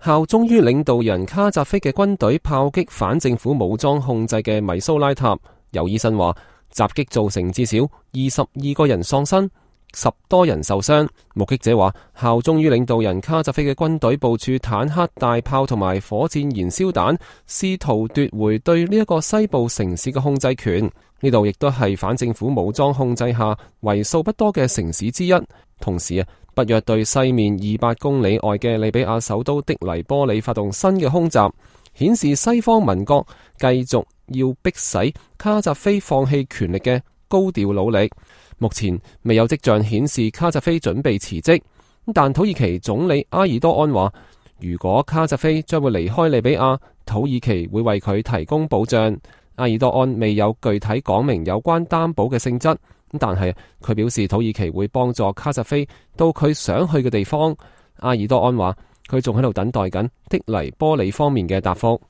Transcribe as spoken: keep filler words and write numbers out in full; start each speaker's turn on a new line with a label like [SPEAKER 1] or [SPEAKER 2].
[SPEAKER 1] 效忠於領導人卡扎菲嘅軍隊炮擊反政府武裝控制嘅米蘇拉塔。有醫生話，襲擊造成至少二十二個人喪生，十多人受傷。目擊者話，效忠於領導人卡扎菲嘅軍隊部署坦克、大炮同埋火箭燃燒彈，試圖奪回對呢一個西部城市嘅控制權。呢度亦都係反政府武裝控制下為數不多嘅城市之一。同時啊，北約對西面二百公里外嘅利比亞首都的黎波里發動新嘅空襲，顯示西方盟國繼續要迫使卡扎菲放棄權力嘅高調努力。目前未有跡象顯示卡扎菲準備辭職，但土耳其總理埃爾多安話，如果卡扎菲將會離開利比亞，土耳其會為佢提供保障。埃爾多安未有具體講明有關擔保嘅性質，但係佢表示土耳其會幫助卡扎菲到佢想去嘅地方。埃爾多安話，佢仲喺度等待緊的黎波里方面嘅答覆。